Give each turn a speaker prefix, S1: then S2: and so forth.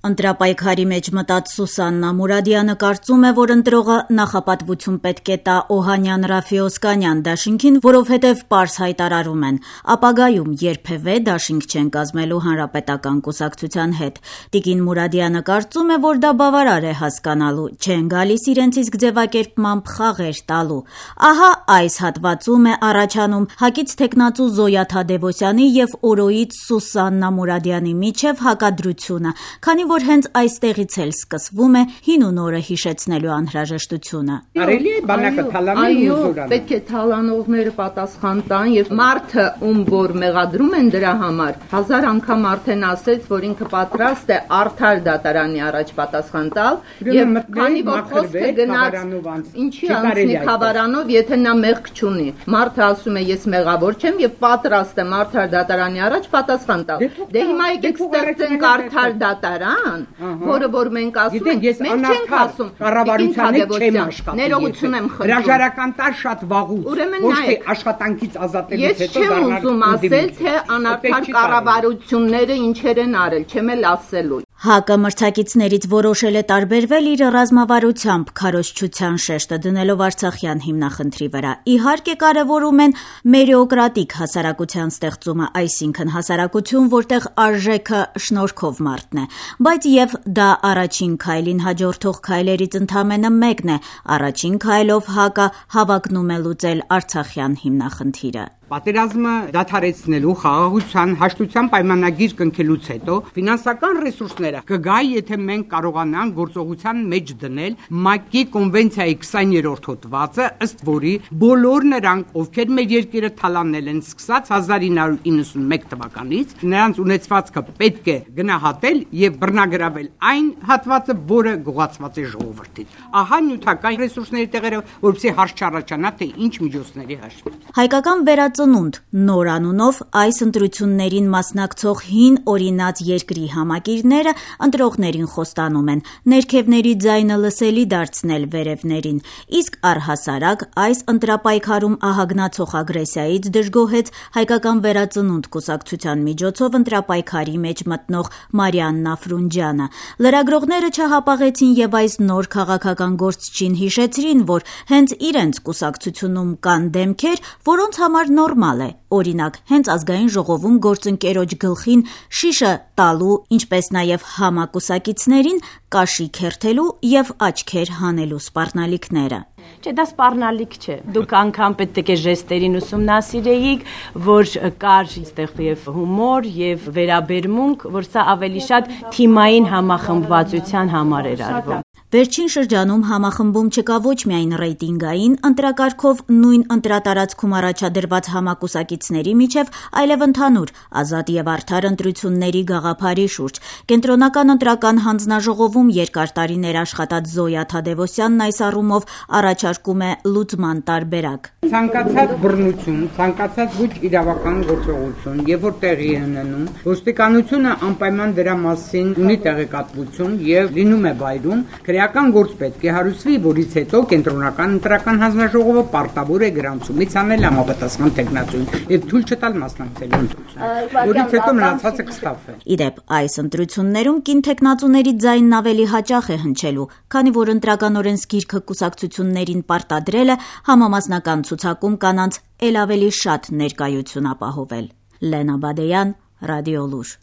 S1: Ընտրապայքարի մեջ մտած Սուսաննա Մուրադյանը կարծում է, որ ընտրողը նախապատվություն պետք է տա Օհանյան-Ռաֆի-Օսկանյան դաշինքին, որովհետև պարզ հայտարարում են. ապագայում երբևէ դաշինք չեն կազմելու Հանրապետական կուսակցության հետ։ Տիկին Մուրադյանը կարծում է, որ դա բավարար է հասկանալու, չեն գալիս իրենց իսկ ձևակերպմամբ խաղեր տալու։ Ահա այս հատվածում է առաջանում ՀԱԿ-ից թեկնածու Զոյա Թադևոսյանի եւ օրոյից Սուսաննա Մուրադյանի միջև հակադրությունը, քանի որ հենց այստեղից էլ սկսվում է հին ու նորը հիշեցնելու անհրաժեշտությունը։
S2: Արելի է բանակը թալանել ու զորանում։
S3: Պետք է թալանողները պատասխան տան եւ մարդը, ում որ մեղադրում են դրա համար, 1000 անգամ արդեն ասեց, որ ինքը պատրաստ է արդար դատարանի առաջ պատասխան տալ եւ քանի որ խոսքը գնաց ինչի անցնի Խավարանով, եթե նա մեղք չունի։ Մարդը ասում է ես մեղավոր չեմ եւ պատրաստ եմ արդար դատարանի առաջ պատասխան տալ։ Դե հիմա եկեք ստեղծենք արդար դատարան, որը որ մենք ասում ենք, մենք չենք ասում
S2: կառավարությանը չեմ աշխատում։
S3: Ներողություն եմ խնդրում։
S2: Հրաժարական տար շատ վաղուց, ոչ թե աշխատանքից ազատելուց հետո
S3: դառնալ։ Ես չեմ ուզում ասել, թե անարդար կառավարությունները ինչեր են արել, չեմ էլ ասելու։
S1: ՀԱԿ-ը մրցակիցներից որոշել է տարբերվել իր ռազմավարությամբ, քարոզչության շեշտը դնելով արցախյան հիմնախնդրի վրա։ Իհարկե կարևորում են մերիոկրատիկ հասարակության ստեղծումը, այսինքն հասարակություն, որտեղ արժեքը շնորհքով մարդն է, բայց եւ դա առաջին քայլին հաջորդող քայլերից ընդամենը մեկն է։ Առաջին քայլով ՀԱԿ-ը հավակնում է լուծել արցախյան հիմնախնդիրը։
S2: Պատերազմը դադարեցնելու խաղաղության հաշտության պայմանագիր կնքելուց հետո ֆինանսական ռեսուրսները կգա, եթե մենք կարողանանք գործողության մեջ դնել ՄԱԿ-ի կոնվենցիայի 20-րդ հոդվածը, ըստ որի բոլոր նրանք, ովքեր մեր երկիրը թալանել են սկսած 1991 թվականից, նրանց ունեցվածքը պետք է գնահատել եւ բռնագրավել այն հատվածը, որը գողացված է ժողովրդից։ Ահա նյութական ռեսուրսների տեղերը, որպեսզի հարց չառաջանա, թե ինչ միջոցների հաշվին։
S1: Հայկական վերածնունդ նոր անունով այս ընտրություններին մասնակցող հին օրինաց երկրի համակիրները ընտրողներին խոստանում են ներքևների ձայնը լսելի դարձնել վերևներին, իսկ առհասարակ այս ընտրապայքարում ահագնացող ագրեսիայից դժգոհեց Հայկական վերածնունդ կուսակցության միջոցով ընտրապայքարի մեջ մտնող Մարիաննա Ֆրունջյանը։ Լրագրողները չհապաղեցին եւ այս նոր քաղաքական գործչին հիշեցրին, որ հենց իրենց կուսակցությունում կան դեմքեր, որոնց համար նորմալ է, օրինակ, հենց ազգային ժողովում գործընկերոջ գլխին շիշը տալու, ինչպես նաև համակուսակիցներին կաշի քերթելու եւ աչքեր հանելու սպառնալիքները։
S4: Չէ, դա սպառնալիք չէ։ Դուք անգամ պետք է ժեստերին ուսումնասիրեիք, որ կար այստեղ եւ հումոր եւ վերաբերմունք, որ սա ավելի շատ թիմային համախմբվածության համար էր արվում։
S1: Վերջին շրջանում համախմբում չկա ոչ միայն ռեյտինգային ընտրակարգով նույն ընտրատարածքում առաջադրված համակուսակիցների միջև, այլև ընդհանուր ազատ եւ արդար ընտրությունների գաղափարի շուրջ։ Կենտրոնական ընտրական հանձնաժողովում երկար տարիներ աշխատած Զոյա Թադևոսյանն այս առումով առաջարկում է լուծման տարբերակ։
S2: Ցանկացած բռնություն, ցանկացած ոչ իրավական գործողություն, երբ որ տեղի է ունենում, ոստիկանությունը անպայման դրա մասին ունի տեղեկատվություն եւ լինում է վայրում, քրեական գործ պետք է հարուցվի, որից հետո կենտրոնական ընտրական հանձնաժողովը պարտավոր է գրանցումից անել համապատասխան տեխնացուին եւ թույլ չտալ մասնակցելու ընտրություններին, որից հետո մնացածը կստավվի։
S1: Իդեպ այս ընտրություններում կին տեխնացուների ձայնն ավելի հաճախ է հնչելու, քանի որ ընտրական օրենսգիրքը կուսակցություններին պարտադրել է համամասնական ցուցակում կանանց էլ ավելի շատ ներկայություն ապահովել։ Լենա Բադեյան, Ռադիոլուր։